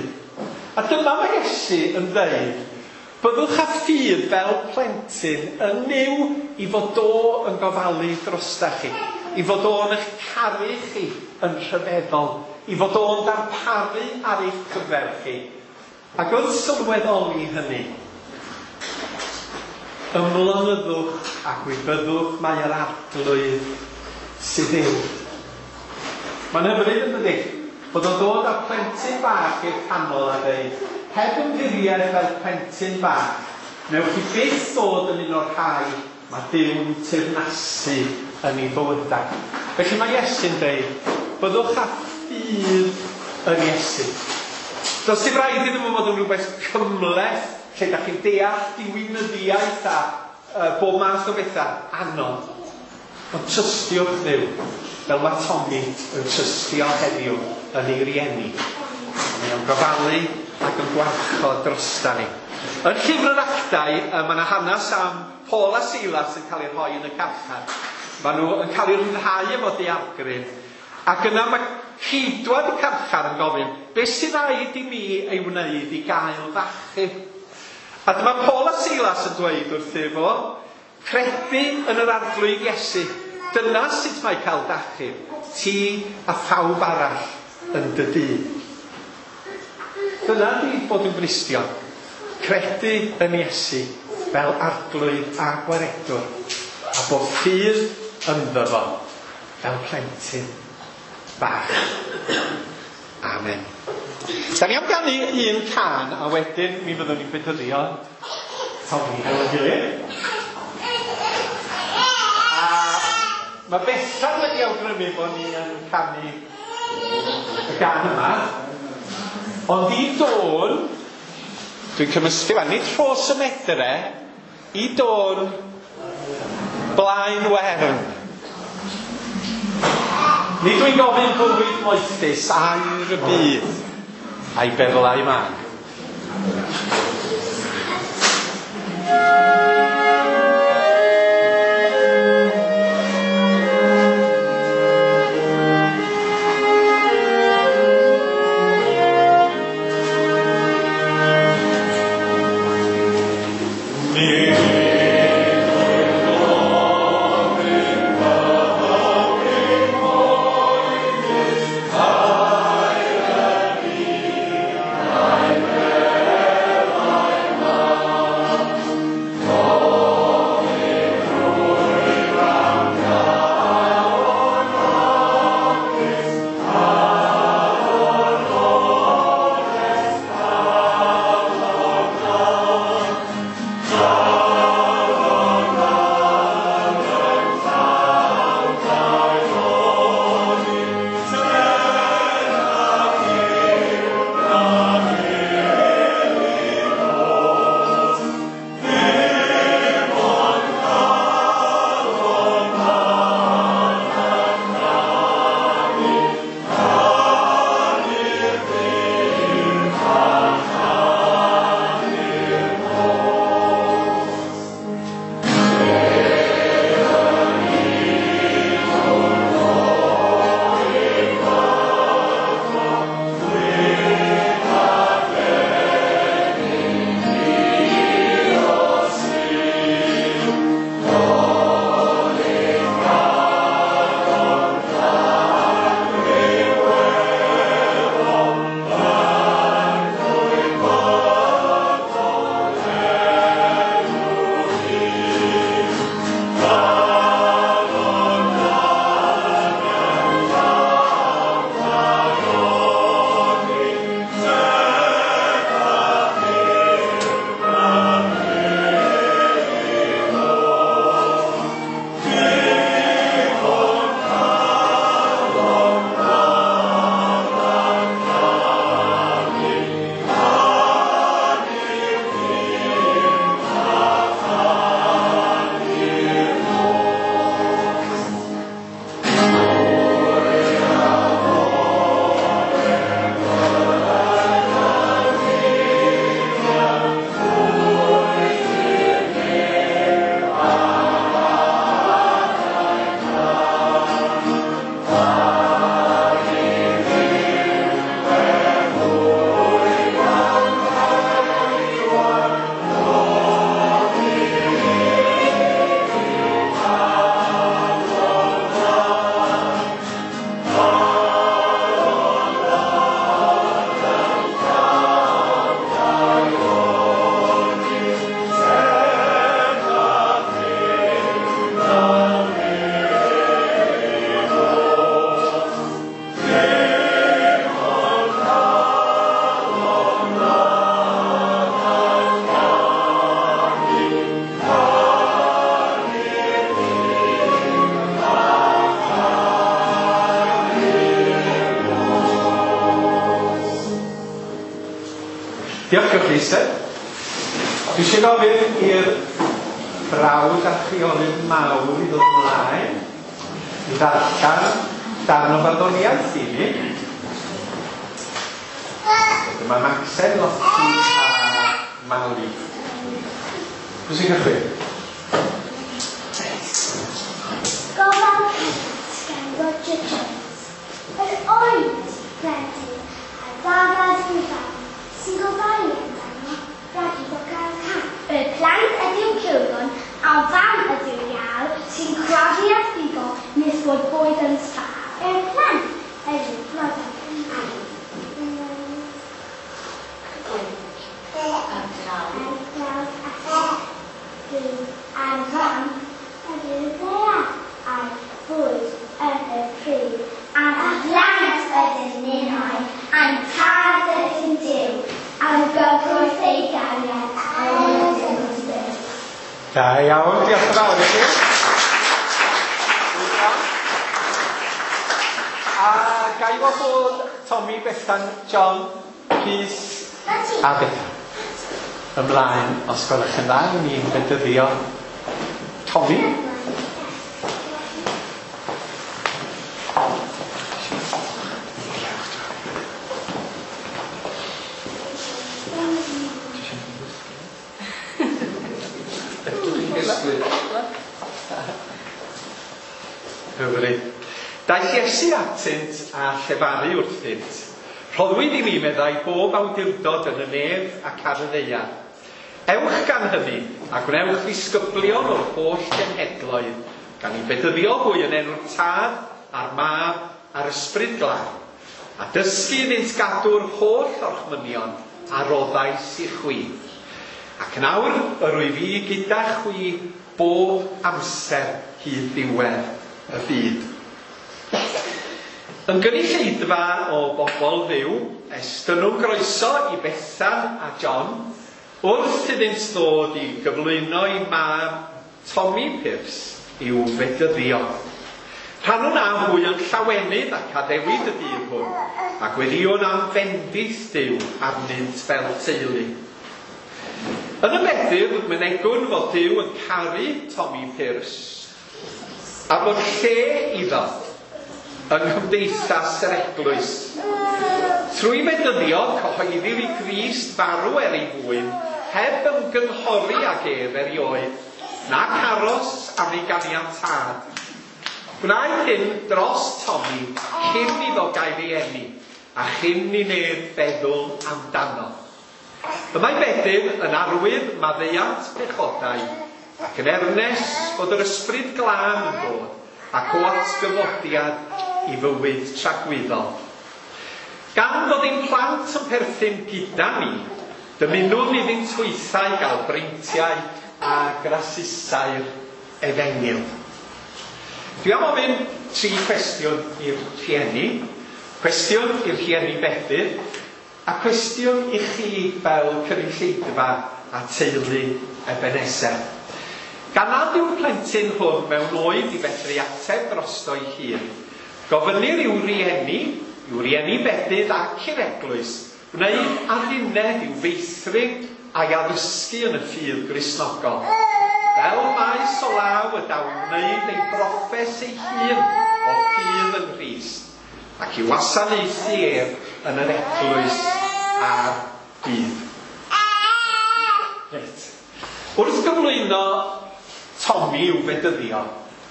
A dyma mae Iesu yn dweud, byddwch â ffydd fel plentyn yn Nuw i fod o yn gofalu drostach chi, i fod o'n eich caru chi yn rhyfeddol, i fod o'n darparu ar eich cyfer chi. Ac wrth sylweddoli hynny, ymlonyddwch a gwybyddwch mai yr Arglwydd sydd Dduw. Mae'n hyfryd yn dydi? Bod o'n dod â'r plentyn bach i'r canol a dweud, heb ymddiried fel plentyn bach, newch chi byth ddod yn un o'r rhai mae Duw'n teyrnasu yn ei bywydau. Felly mae Iesu'n dweud, byddwch â ffydd yn Iesu. Does dim rhaid iddo fo fod yn rhywbeth cymhleth, lle da chi'n deall diwinyddiaeth a bob math o bethau anodd. Ond trystiwch Dduw, fel mae Tommy yn trystio heddiw yn ei rieni. Mae o'n gofalu ac yn gwarchod drosta ni. Yn llyfr yr Actau, mae yna hanes am Paul a Silas yn cael eu rhoi yn y carchar. Maen nhw yn cael eu rhyddhau efo daeargryn. Ac yna mae ceidwad y carchar yn gofyn, beth sydd rhaid i mi ei wneud i gael f'achub? A dyma Paul a Silas yn dweud wrtho fo, credu yn yr Arglwydd Iesu. Dyna sut mae cael d'achub, ti a phawb arall yn dy dŷ. Dyna di bod yn Gristion. Credu yn Iesu fel Arglwydd a Gwaredwr, a bod ffydd ynddo fo fel plentyn bach. Amen. Da ni am ganu un cân a wedyn mi fyddwn ni'n bedyddio Tommy hefo'n gilydd. A mae Bethan wedi awgrymu bod ni yn canu y gân yma. Ond i dôn, dwi'n cymysgu fan, nid Rhos y Medre, i dôn Blaen Wern. Nid dwi'n gofyn bywyd moethus, aur y byd, a'i berlau mân. Oh. Diolch i'ch eistedd. Dwi eisiau gofyn i'r brawd a chwiorydd mawr i ddod ymlaen i ddarllen darn o farddoniaeth i ni. Dyma Macsen, Lottie a Mali. Pwy sy'n cychwyn? Gofal Plant gan Roger Jones. Yr oedd plentyn ar ddafad ei fam sy'n gofalu amdano rhag iddo gael cam. Y plant ydyw cywron a'r fam ydyw iâr sy'n crafu a phigo nes bod bwyd yn sbâr. Y plant ydyw blodau a'r glawdd a sydd a'r fam ydyw ddaear a'r bwyd yn y pridd. A'n plant ydyn ninnau, a'n tad ydyn Duw, am gyfrwys ei gariad a'r ydyn byw. Da iawn, diolch yn fawr i chi. A ga i wahodd Tommy, Bethan, John, Rhys a Bethan ymlaen, os gwelwch yn dda, ni'n bedyddio Tommy. Hyfryd. Daeth Iesu atynt a llefaru wrthynt. Rhoddwyd i mi, meddai, bob awdurdod yn y nef ac ar y ddaear. Ewch gan hynny a gwnewch ddisgyblion o'r holl genhedloedd, gan eu bedyddio hwy yn enw'r Tad a'r Mab a'r Ysbryd Glân, a dysgu iddynt gadw'r holl orchmynion a roddais i chwi. Ac yn awr yr wyf fi gyda chwi bob amser hyd ddiwedd y byd. Yn gynulleidfa o bobl Dduw, estynnwn groeso i Bethan a John wrth iddynt ddod i gyflwyno i mab Tommy Pierce i'w fedyddio. Rhannwn â hwy yn llawenydd ac addewid y dydd hwn, a gweddïwn am fendith Duw arnynt fel teulu. Yn y bedydd, mynegwn fod Duw yn caru Tommy Pierce, a bod lle iddo yng nghymdeithas yr eglwys. Trwy fedyddio, cyhoeddir i Grist farw er ei fwyn, heb ymgynghori ag ef erioed, nac aros am ei ganiatâd. Gwnaed hyn dros Tommy cyn iddo gael ei eni, a chyn i neb feddwl amdano. Y mae bedydd yn arwydd maddeuant pechodau, ac yn ernes bod yr Ysbryd Glân yn dod, ac o atgyfodiad i fywyd tragwyddol. Gan fod ein plant yn perthyn gyda ni, dymunwn iddynt hwythau gael breintiau a grasusau'r efengyl. Dwi am ofyn tri cwestiwn i'r rhieni, cwestiwn i'r rhieni bedydd, a cwestiwn i chi fel cynulleidfa a teulu Ebenezer. Gan nad yw'r plentyn hwn mewn oed i fedru ateb drosto'i hun, gofynnir i'w rieni bedydd ac i'r eglwys, wneud adduned i'w feithrin a'i addysgu yn y ffydd Gristnogol. Fel maes o law y daw wneud ei broffes ei hun o ffydd yng Nghrist, ac i wasanaethu ef yn yr eglwys a'r byd. Reit. Wrth gyflwyno Tommy i'w fedyddio,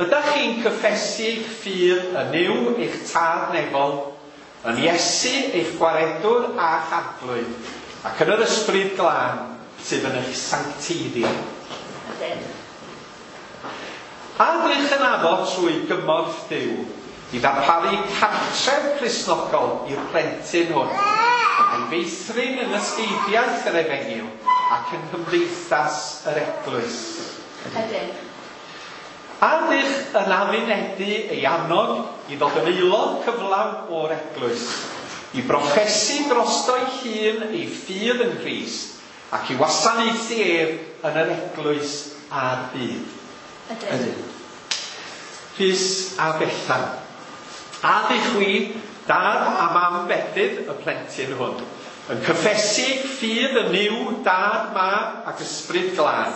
ydych chi'n cyffesu eich ffydd yn Nuw eich tad nefol, yn Iesu eich gwaredwr a'ch arglwydd, ac yn yr Ysbryd Glân sydd yn eich sancteiddio? A ydych yn addo trwy gymorth Duw i ddarparu cartref Cristnogol i'r plentyn hwn, a'i feithrin yn ysgeidiaeth yr efengyl ac yng nghymdeithas yr eglwys? Ydyn. A ydych yn addunedi ei annog i ddod yn aelod cyflawn o'r eglwys, i broffesu drosto'i hun ei ffydd yng Nghrist, ac i wasanaethu ef yn yr eglwys a'r byd? Ydyn. Rhys a Bethan. A ydych chwi, dad a mam bedydd y plentyn hwn, Yn cyffesu ffydd yn Nuw, Dad, Mab ac Ysbryd Glân,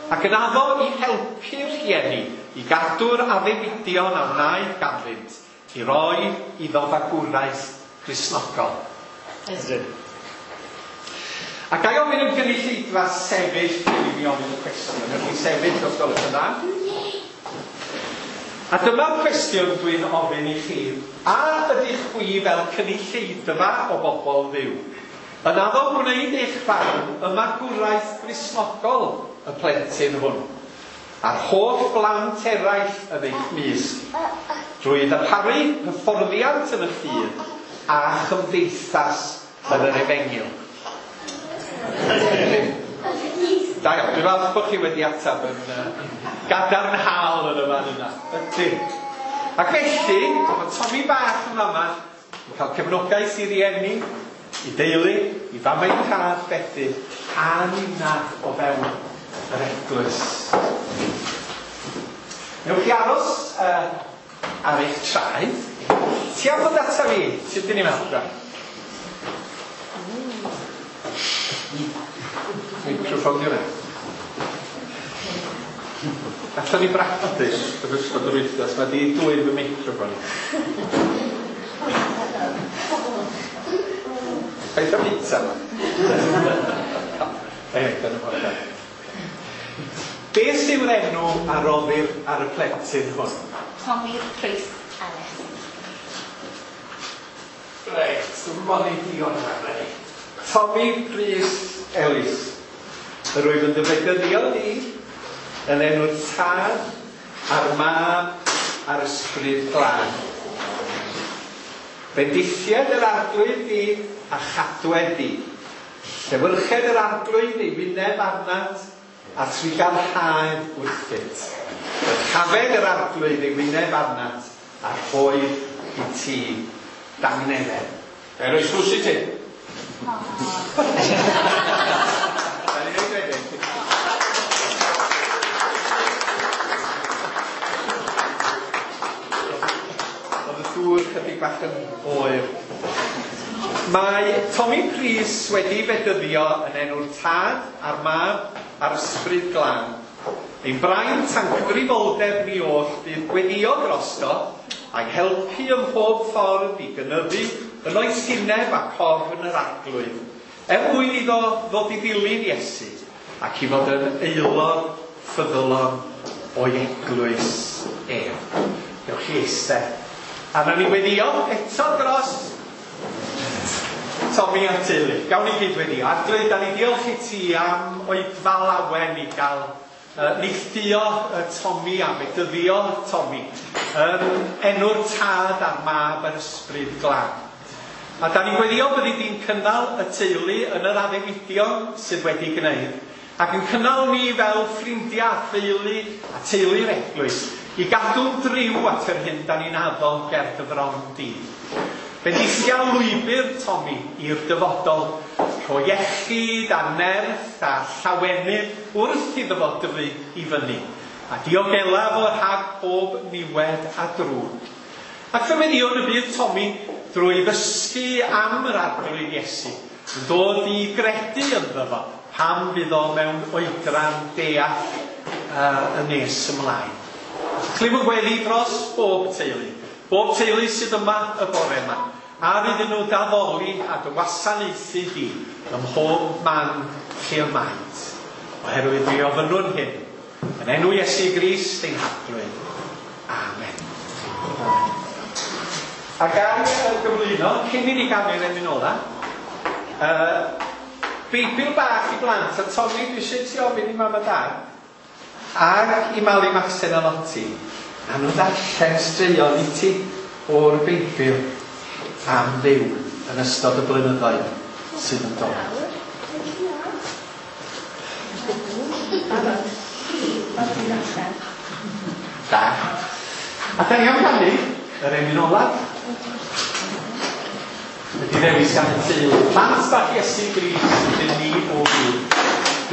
ac yn addo i helpu'r rhieni i gadw'r addewidion a wnaed ganddynt i roi iddo fagwraeth Gristnogol. Ydyn. A ga i ofyn i'r gynulleidfa sefyll cyn i mi ofyn y cwestiwn. Newch chi sefyll os gwelwch yn dda? A dyma'r cwestiwn dwi'n ofyn i chi. A ydych chwi fel cynulleidfa o bobl Dduw yn addo gwneud eich rhan ym magwraeth Gristnogol y plentyn hwn, a'r holl blant eraill yn eich mysg, drwy ddarparu hyfforddiant yn y ffydd a chymdeithas yn yr efengyl? Da iawn, dwi'n falch bod chi wedi ateb yn gadarnhaol yn y fan yna. Ydyn. Ac felly, mae Tommy bach yn fama yn cael cefnogaeth i rieni, i deulu, i famau tad, bedydd, a ninna o fewn yr eglwys. Newch chi aros ar eich traed. Ti am ddod ata fi? Sut dyn ni'n meddwl? Microffon di hwnna. Gatho ni bractis yn ystod yr wythnos, mae di dwyn fy microffon i. Paid â bita fo. Ei, dyna fo. Beth yw'r enw a roddir ar y plentyn hwn? Tommy Prys Ellis. Reit, dwi'n gwybod ni digon yma, reit. Tommy Prys Ellis. Yr wyf yn dy fedyddio di yn enw'r Tad a'r Mab a'r Ysbryd Glân. Bendithied yr Arglwydd di a chadwed di. Llewyrched yr Arglwydd ei wyneb arnat a thrugarhaed wrthyt. Dyrchafed yr Arglwydd ei wyneb arnat a rhoed i ti dangnefedd. Ga i roi sws i ti? Da ni'n ei wedyn. Oedd y dŵr chydig bach yn oer. Mae Tommy Prys wedi fedyddio yn enw'r Tad a'r Mab a'r Ysbryd Glân. Ein braint a'n cyfrifoldeb ni oll fydd gweddio drosto a'i helpu ym mhob ffordd i gynyddu yn oesineb ac ofn yr Arglwydd, er mwyn iddo ddod i ddilyn Iesu ac i fod yn aelod ffyddlon o'i eglwys ef. Newch chi eistedd. A nawn ni weddio eto dros Tommy a'r teulu. Gawn ni gyd weddio. Arglwydd, da ni diolch i ti am oedfa lawen i gael neilltuo Tommy a bedyddio Tommy yn enw'r Tad a'r Mab a'r Ysbryd Glân. A da ni'n gweddio byddi di'n cynnal y teulu yn yr addewidion sydd wedi gwneud, ac yn cynnal ni fel ffrindiau, theulu a teulu'r eglwys i gadw'n driw at yr hyn da ni'n addo ger dy fron di. Bendithia lwybr Tommy i'r dyfodol, rho iechyd a nerth a llawenydd wrth iddo fo dyfu i fyny, a diogela fo rhag pob niwed a drwg. Ac fe weddïwn y bydd Tommy drwy ddysgu am yr Arglwydd Iesu, yn dod i gredu ynddo fo pan fydd o mewn oedran deall yn nes ymlaen. Clywch gweddi dros bob teulu, bob teulu sydd yma y bore yma, ar iddyn nhw d'addoli a dy wasanaethu di ym mhob man lle y maent. Oherwydd mi ofynnwn hyn, yn enw Iesu Grist ein Harglwydd. Amen. A gan gyflwyno, cyn i ni ganu'r emyn ola, Beibl bach i blant, a Tommy, dwi eisiau ti ofyn i mam a dad, ac i Mali Maxen a Lottie, a nhw ddarllen straeon i ti o'r Beibl am Dduw yn ystod y blynyddoedd sydd yn dod. Da. A da ni am ganu yr emyn olaf. Wedi ddewis gan y teulu. Plant bach Iesu Grist ydyn ni o hyd.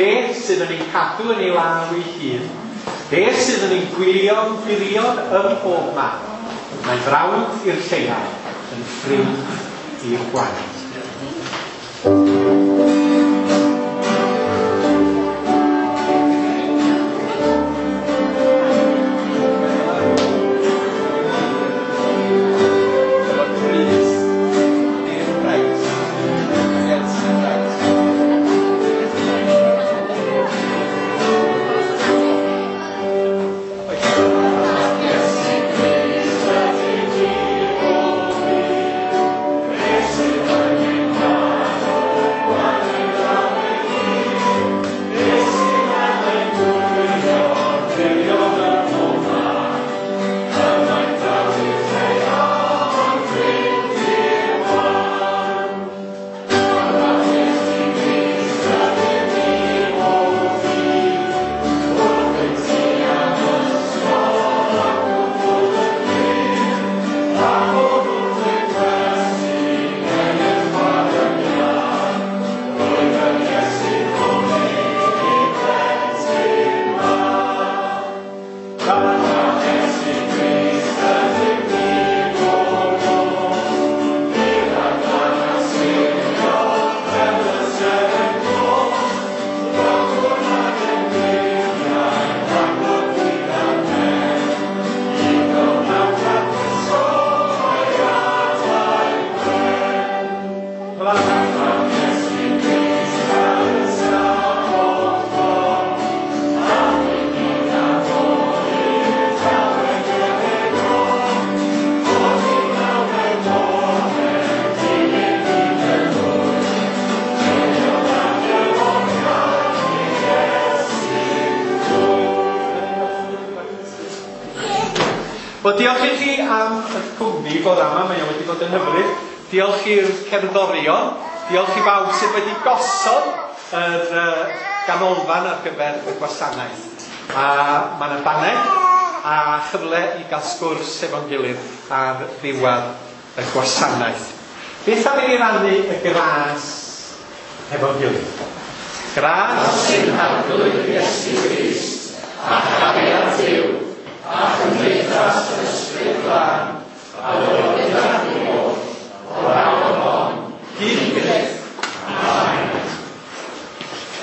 Beth sydd yn ein cadw yn ei law ei hun? Beth sydd yn ein gwylio'n gwirion ym mhob man? Mae'n frawd i'r lleiaf, yn ffrind i'r gwaed. Wel, diolch i chi am y cwmni bore yma, mae o wedi bod yn hyfryd. Diolch i'r cerddorion, diolch i bawb sydd wedi gosod yr ganolfan ar gyfer y gwasanaeth. A mae yna baned a chyfle i gael sgwrs efo'n gilydd ar ddiwedd y gwasanaeth. Beth am i ni rannu y gras hefo'n gilydd? Gras ein Harglwydd Iesu Grist.